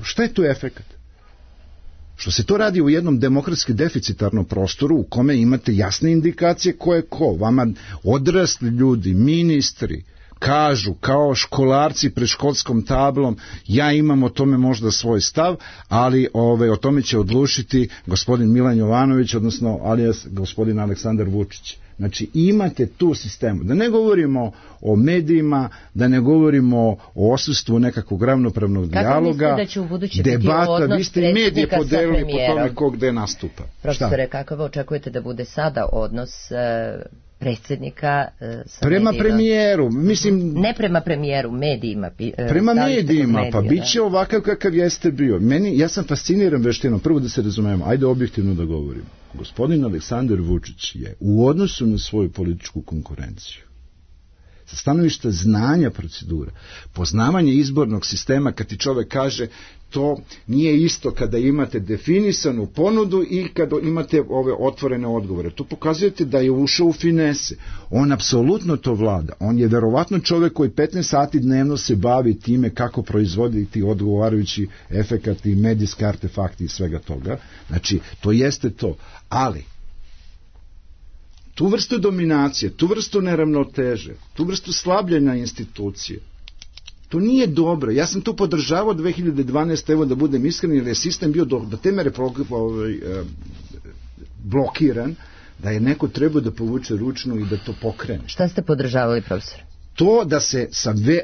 Šta je tu efekat? Što se to radi u jednom demokratski deficitarnom prostoru u kome imate jasne indikacije ko je ko. Vama odrasli ljudi, ministri, kažu kao školarci pred školskom tablom, ja imam o tome možda svoj stav, ali o tome će odlučiti gospodin Milan Jovanović, odnosno alias gospodin Aleksandar Vučić. Znači, imate tu sistemu. Da ne govorimo o medijima, da ne govorimo o odsustvu nekakvog ravnopravnog dijaloga. Kako mislite da će u budući biti odnos predsjednika sa premijerom? Po tome ko gde nastupa. Profesore, kakav očekujete da bude sada odnos predsjednika sa prema medijima? Premijeru, mislim... Ne prema premijeru, medijima. Prema medijima, pa bit će ovakav kakav jeste bio. Ja sam fasciniran veštinom, prvo da se razumemo, ajde objektivno da govorimo. Gospodin Aleksandar Vučić je u odnosu na svoju političku konkurenciju, sa stanovišta znanja procedura, poznavanje izbornog sistema, kad ti čovek kaže to nije isto kada imate definisanu ponudu i kada imate ove otvorene odgovore. To pokazujete da je ušao u finese. On apsolutno to vlada. On je verovatno čovek koji 15 sati dnevno se bavi time kako proizvoditi odgovarajući efekat i medijski artefakti i svega toga. Znači, to jeste to. Ali, tu vrstu dominacije, tu vrstu neravnoteže, tu vrstu slabljenja institucije, to nije dobro. Ja sam tu podržavao 2012. evo da budem iskren, jer je sistem bio do te mere blokiran da je neko trebao da povuče ručnu i da to pokrene. Šta ste podržavali, profesor? To da se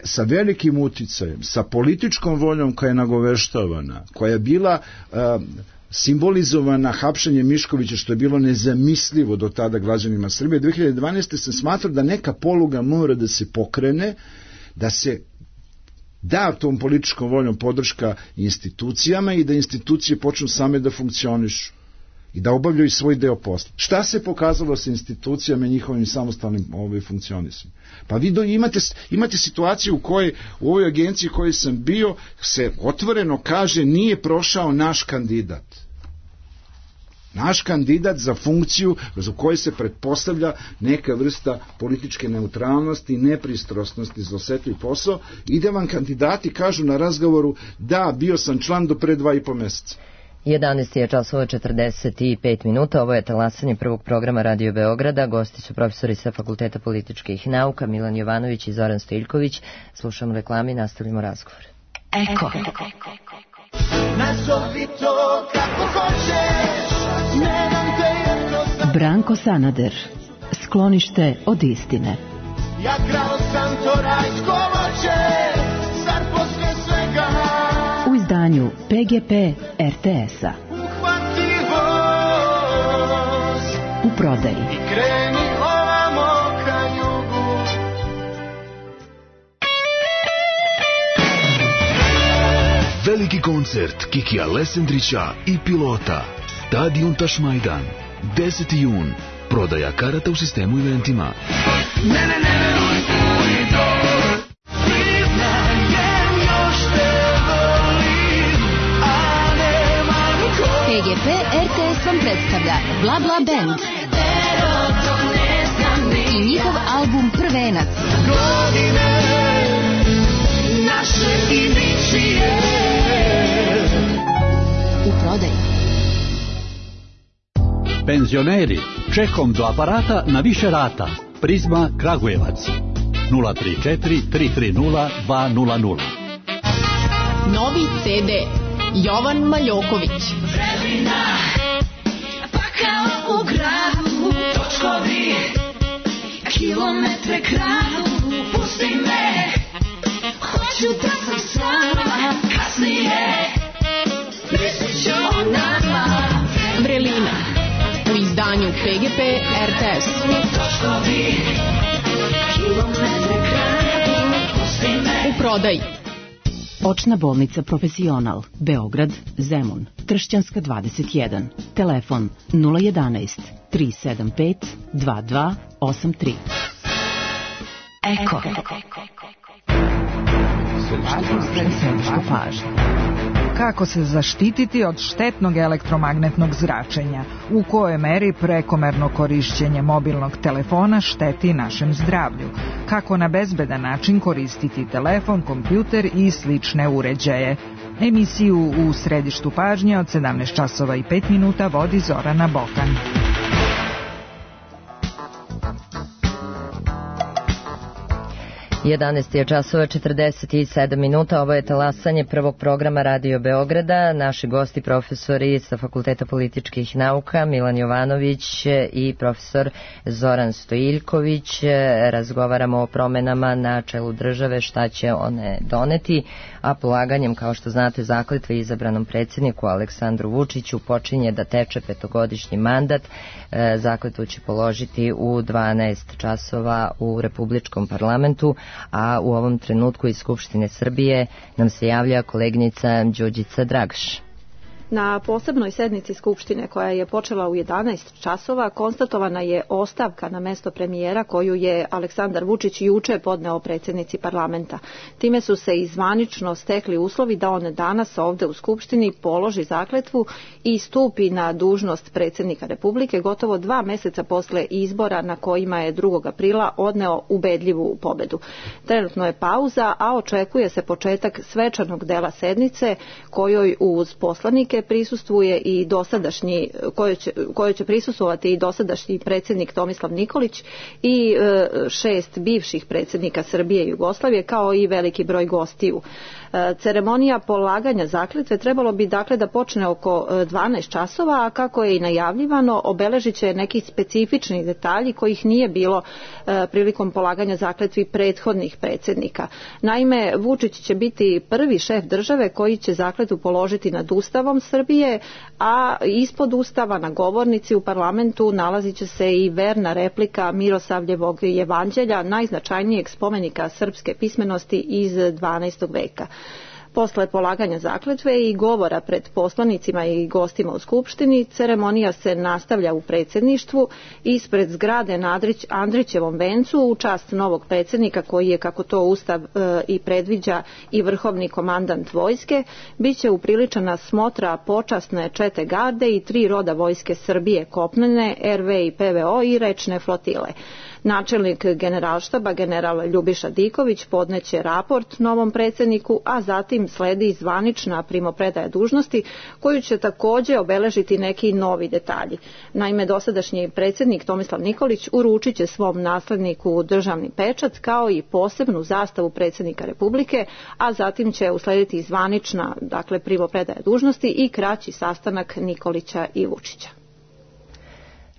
sa velikim uticajem, sa političkom voljom koja je nagoveštavana, koja je bila simbolizovana hapšenjem Miškovića, što je bilo nezamislivo do tada građanima Srbije, 2012. se smatra da neka poluga mora da se pokrene, da se da tom političkom voljom podrška institucijama i da institucije počnu same da funkcionišu i da obavljaju svoj deo posla. Šta se pokazalo sa institucijama i njihovim samostalnim funkcionisanjem? Pa vi imate situaciju u kojoj u ovoj agenciji u kojoj sam bio se otvoreno kaže nije prošao naš kandidat. Naš kandidat za funkciju za koju se pretpostavlja neka vrsta političke neutralnosti i nepristrasnosti za osetljiv posao, ide vam kandidati kažu na razgovoru da, bio sam član do pre 2,5 meseca. 11 je časova 45 minuta, ovo je talasanje prvog programa Radio Beograda, gosti su profesori sa Fakulteta političkih nauka Milan Jovanović i Zoran Stojiljković. Slušamo reklame i nastavimo razgovor. Eko. Nazovi to kako hoćeš, ne dam te jedno... Branko Sanader, sklonište od istine. Ja krao sam to rajsko voće, zar posle svega... U izdanju PGP RTS-a. Uhvati voz u prodaji. I kreni ovamo ka jugu. Veliki koncert Kikija Lesendrića i Pilota. Stadion Tašmajdan. 10. jun. Prodaja karata u sistemu eventima. PGP RTS vam predstavlja Bla Bla Band i njihov album Prvenac. U prodaji. Penzioneri, čekom do aparata na više rata. Prizma Kragujevac 034 330 200. Novi CD Jovan Maljoković. Vremena, pa kao u gradu, točkovi, kilometre kradu, pusti me, hoću da sam s vama, kasnije, mislit ću o nama. Vrelina, u izdanju PGP RTS. Točkovi, kilometre kradu, pusti me. U prodaji. Očna bolnica Profesional, Beograd, Zemun, Tršćanska 21, telefon 011 375 2283. Eko. Središte pažnje. Kako se zaštititi od štetnog elektromagnetnog zračenja? U kojoj meri prekomerno korišćenje mobilnog telefona šteti našem zdravlju? Kako na bezbedan način koristiti telefon, kompjuter i slične uređaje? Emisiju u središtu pažnje od 17 časova i 5 minuta vodi Zorana Bokan. 11 je časova 47 minuta, ovo je talasanje prvog programa Radio Beograda. Naši gosti profesori sa Fakulteta političkih nauka Milan Jovanović i profesor Zoran Stojiljković. Razgovaramo o promenama na čelu države, šta će one doneti, a polaganjem, kao što znate, zakletve izabranom predsjedniku Aleksandru Vučiću počinje da teče petogodišnji mandat. Zakletvu će položiti u 12 časova u Republičkom parlamentu, a u ovom trenutku iz Skupštine Srbije nam se javlja koleginica Đurđica Dragaš. Na posebnoj sednici Skupštine koja je počela u 11 časova konstatovana je ostavka na mesto premijera koju je Aleksandar Vučić juče podneo predsjednici parlamenta. Time su se i zvanično stekli uslovi da on danas ovde u Skupštini položi zakletvu i stupi na dužnost predsjednika Republike gotovo 2 meseca posle izbora na kojima je 2. aprila odneo ubedljivu pobedu. Trenutno je pauza, a očekuje se početak svečanog dela sednice kojoj uz poslanike Republike prisustvuje i kojoj će prisustvovati i dosadašnji predsjednik Tomislav Nikolić i 6 bivših predsjednika Srbije i Jugoslavije, kao i veliki broj gostiju. Ceremonija polaganja zakletve trebalo bi dakle da počne oko 12 časova, a kako je i najavljivano, obeležit će neki specifični detalji kojih nije bilo prilikom polaganja zakletvi prethodnih predsjednika. Naime, Vučić će biti prvi šef države koji će zakletvu položiti nad Ustavom Srbije, a ispod Ustava na govornici u parlamentu nalazit će se i verna replika Miroslavljevog jevanđelja, najznačajnijeg spomenika srpske pismenosti iz 12. veka. Posle polaganja zakletve i govora pred poslanicima i gostima u Skupštini, ceremonija se nastavlja u predsjedništvu ispred zgrade na Andrićevom vencu u čast novog predsjednika koji je, kako to Ustav i predviđa, i vrhovni komandant vojske. Biće upriličena smotra počasne čete garde i 3 roda vojske Srbije, kopnene, RV i PVO i rečne flotile. Načelnik generalštaba, general Ljubiša Diković, podneće raport novom predsjedniku, a zatim sledi zvanična primopredaja dužnosti koju će također obeležiti neki novi detalji. Naime, dosadašnji predsjednik Tomislav Nikolić uručit će svom nasledniku državni pečat kao i posebnu zastavu predsjednika Republike, a zatim će uslediti zvanična, dakle, primopredaja dužnosti i kraći sastanak Nikolića i Vučića.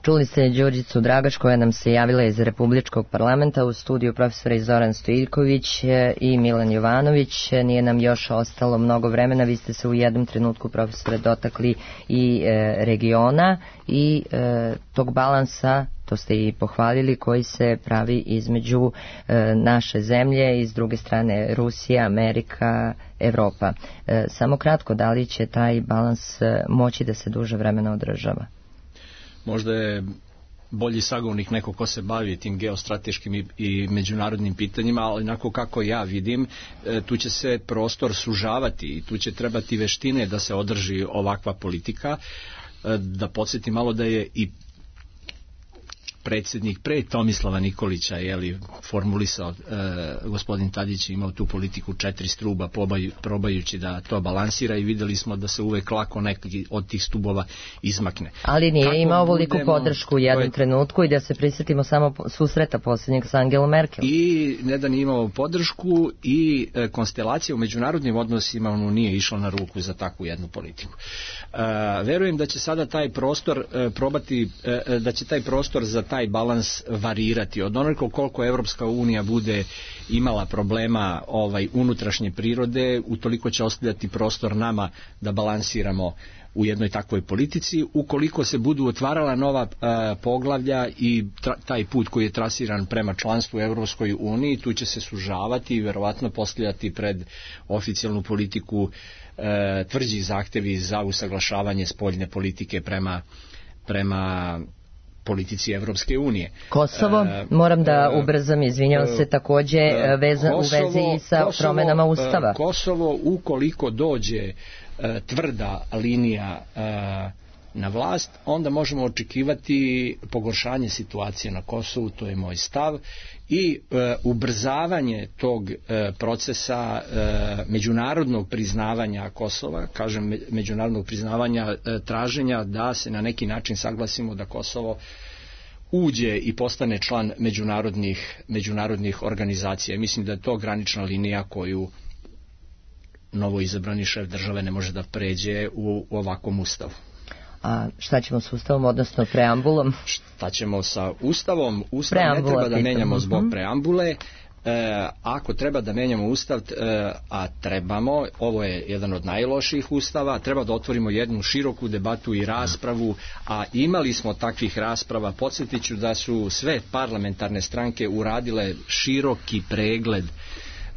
Čuli ste Đurđicu Dragaš koja nam se javila iz Republičkog parlamenta, u studiju profesora Zoran Stojiljković i Milan Jovanović. Nije nam još ostalo mnogo vremena, vi ste se u jednom trenutku, profesore, dotakli i regiona i tog balansa, to ste i pohvalili, koji se pravi između naše zemlje i s druge strane Rusija, Amerika, Evropa. Samo kratko, da li će taj balans moći da se duže vremena održava? Možda je bolji sagovornik neko ko se bavi tim geostrateškim i međunarodnim pitanjima, ali onako kako ja vidim, tu će se prostor sužavati i tu će trebati veštine da se održi ovakva politika. Da podsjetim malo da je i predsjednik pre Tomislava Nikolića formulisao, gospodin Tadić je imao tu politiku 4 stuba probajući da to balansira i vidjeli smo da se uvek lako neki od tih stubova izmakne. Ali nije imao veliku podršku u jednom trenutku i da se prisjetimo samo susreta posljednjeg sa Angelom Merkel. I ne da nije imao podršku i konstelacija u međunarodnim odnosima nije išla na ruku za takvu jednu politiku. Verujem da će sada taj prostor da će taj prostor za taj balans varirati. Od onoliko koliko Evropska unija bude imala problema unutrašnje prirode, utoliko će ostavljati prostor nama da balansiramo u jednoj takvoj politici. Ukoliko se budu otvarala nova poglavlja i taj put koji je trasiran prema članstvu u Evropskoj uniji, tu će se sužavati i verovatno postavljati pred oficijalnu politiku tvrđi zahtevi za usaglašavanje spoljne politike prema politici Evropske unije. Kosovo, moram da ubrzam, izvinjavam se, također u vezi sa promjenama Ustava. Kosovo, ukoliko dođe tvrda linija na vlast, onda možemo očekivati pogoršanje situacije na Kosovu, to je moj stav, i ubrzavanje tog procesa međunarodnog priznavanja Kosova, kažem međunarodnog priznavanja, traženja da se na neki način saglasimo da Kosovo uđe i postane član međunarodnih organizacija. Mislim da je to granična linija koju novoizabrani šef države ne može da pređe u ovakvom ustavu. A šta ćemo s ustavom, odnosno preambulom? Šta ćemo sa ustavom? Ustav ne treba da menjamo zbog preambule. Ako treba da menjamo ustav, a trebamo, ovo je jedan od najlošijih ustava, treba da otvorimo jednu široku debatu i raspravu, a imali smo takvih rasprava. Podsjetit ću da su sve parlamentarne stranke uradile široki pregled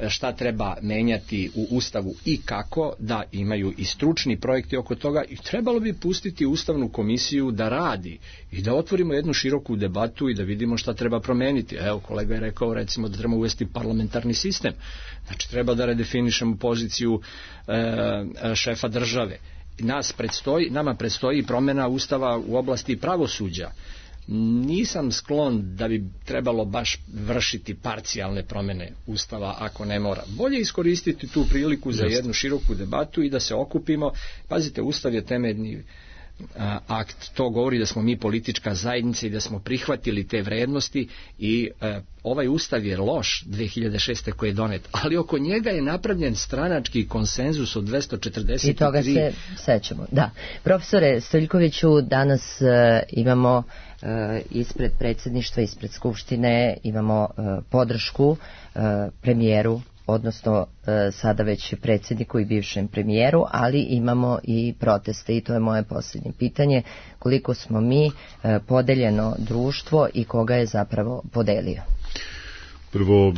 šta treba menjati u Ustavu i kako, da imaju i stručni projekti oko toga, i trebalo bi pustiti Ustavnu komisiju da radi i da otvorimo jednu široku debatu i da vidimo šta treba promeniti. Evo, kolega je rekao recimo da treba uvesti parlamentarni sistem, znači treba da redefinišemo poziciju šefa države. Nama predstoji promjena Ustava u oblasti pravosuđa. nisam sklon da bi trebalo baš vršiti parcijalne promjene Ustava ako ne mora. Bolje iskoristiti tu priliku za jednu široku debatu i da se okupimo. Pazite, Ustav je temeljni akt, to govori da smo mi politička zajednica i da smo prihvatili te vrednosti i ovaj Ustav je loš 2006. koji je donet, ali oko njega je napravljen stranački konsenzus od 243. I toga se sećamo, da. Profesore Stojiljkoviću, danas imamo ispred predsjedništva, ispred Skupštine imamo podršku premijeru, odnosno sada već predsjedniku i bivšem premijeru, ali imamo i proteste i to je moje posljednje pitanje, koliko smo mi podeljeno društvo i koga je zapravo podelio? Prvo,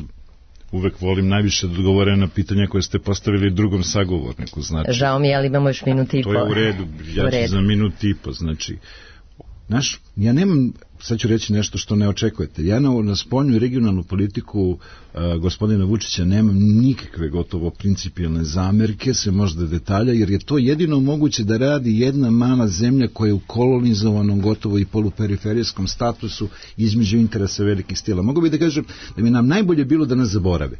uvek volim najviše da odgovore na pitanja koje ste postavili drugom sagovorniku. Znači, žao mi je, ali imamo još minut i po. To je u redu, ja ću za minut i po, znači, ja nemam, sad ću reći nešto što ne očekujete. Ja na spoljnu i regionalnu politiku gospodina Vučića nemam nikakve gotovo principijalne zamerke, se možda detalja, jer je to jedino moguće da radi jedna mala zemlja koja je u kolonizovanom gotovo i poluperiferijskom statusu između interesa velikih stila. Mogu bi da kažem da bi nam najbolje bilo da nas zaborave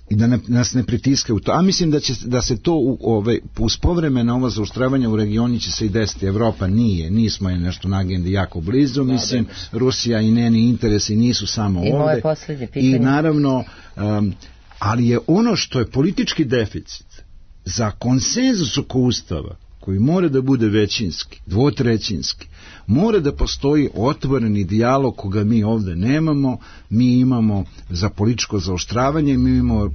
i da nas ne pritiskaju u to. A mislim da se to uz povremena ovo zaoštravanja u regioni će se i desiti. Evropa nismo je nešto na agendi jako blizu, mislim, Rusija i njeni interesi nisu samo ovde. I naravno, ali je ono što je politički deficit za konsenzus oko Ustava, koji mora da bude većinski, dvotrećinski, mora da postoji otvoreni dijalog koga mi ovde nemamo. Mi imamo za političko zaoštravanje, mi imamo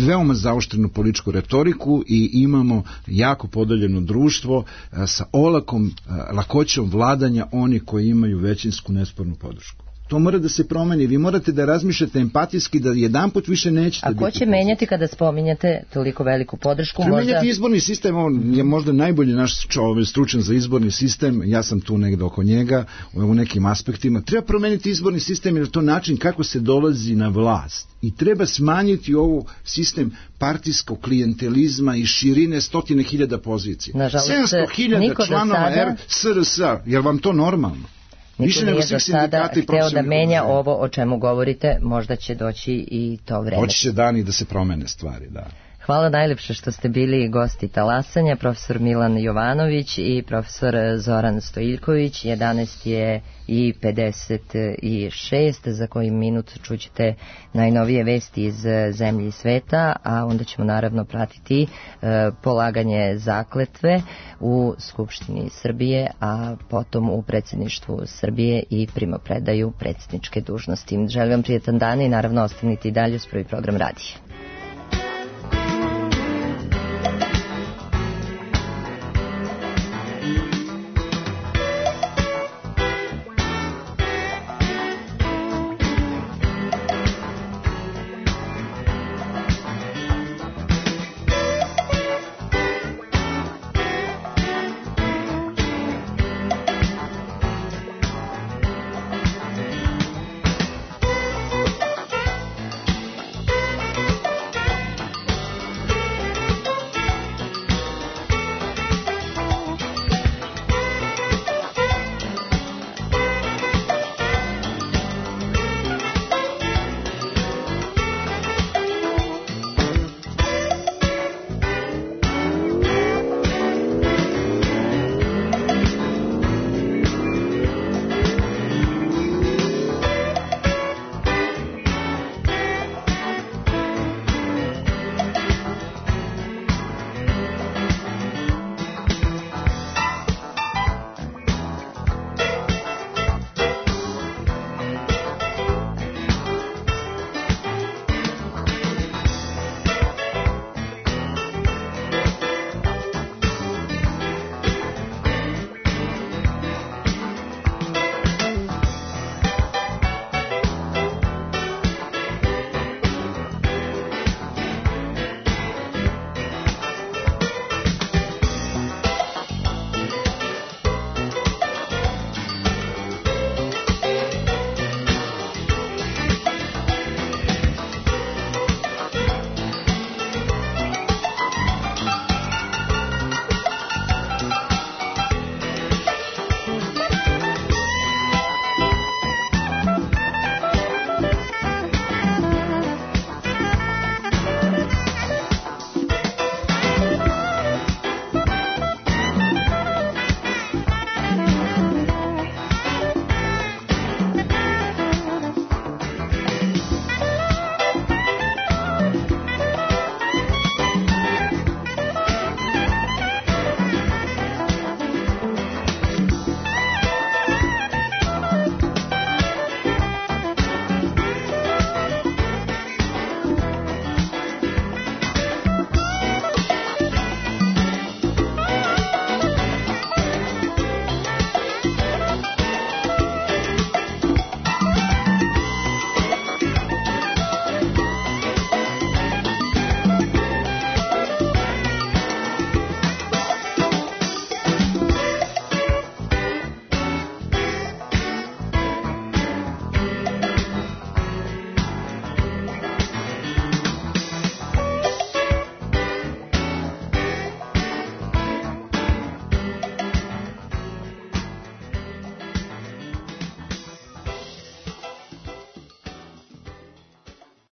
veoma zaoštrenu političku retoriku i imamo jako podeljeno društvo sa lakoćom vladanja oni koji imaju većinsku nespornu podršku. To mora da se promeni. Vi morate da razmišljate empatijski da jedanput više nećete biti. A ko će menjati kada spominjate toliko veliku podršku? Treba menjati izborni sistem, on je možda najbolji naš stručan za izborni sistem, ja sam tu negde oko njega u nekim aspektima. Treba promeniti izborni sistem jer je to način kako se dolazi na vlast. I treba smanjiti ovo sistem partijskog klijentelizma i širine 100.000 pozicija. 700.000 članova SRS, je vam to normalno? Niko nije do sada hteo da menja ovo o čemu govorite, možda će doći i to vreme. Hoće će dani da se promene stvari, da. Hvala najlepše što ste bili gosti talasanja, profesor Milan Jovanović i profesor Zoran Stojiljković. 11 je i 56, za koji minut čućete najnovije vesti iz zemlje i sveta, a onda ćemo naravno pratiti polaganje zakletve u Skupštini Srbije, a potom u predsjedništvu Srbije i primopredaju predsjedničke dužnosti. Želim vam prijetan dan i naravno ostanite i dalje uz Prvi program radija.